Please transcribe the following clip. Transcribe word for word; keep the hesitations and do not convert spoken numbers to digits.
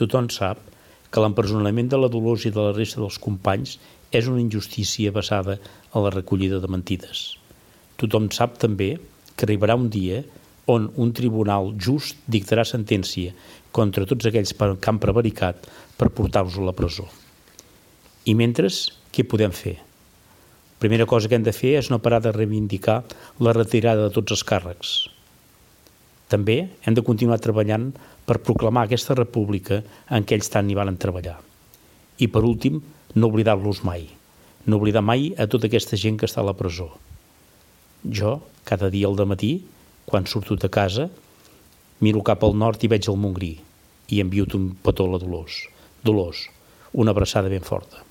Tothom sap que l'empresonament de la Dolors i de la resta dels companys és una injustícia basada en la recollida de mentides. Tothom sap també que arribarà un dia on un tribunal just dictarà sentència contra tots aquells que han prevaricat per portar-los a la presó. I mentre, què podem fer? La primera cosa que hem de fer és no parar de reivindicar la retirada de tots els càrrecs. També hem de continuar treballant per proclamar aquesta república en què ells tant hi van treballar. I per últim, no oblidar-los mai. No oblidar mai a tota aquesta gent que està a la presó. Jo, cada dia al dematí, quan surto de casa, miro cap al nord i veig el Montgrí i envio-te un petó a la Dolors. Dolors, una abraçada ben forta.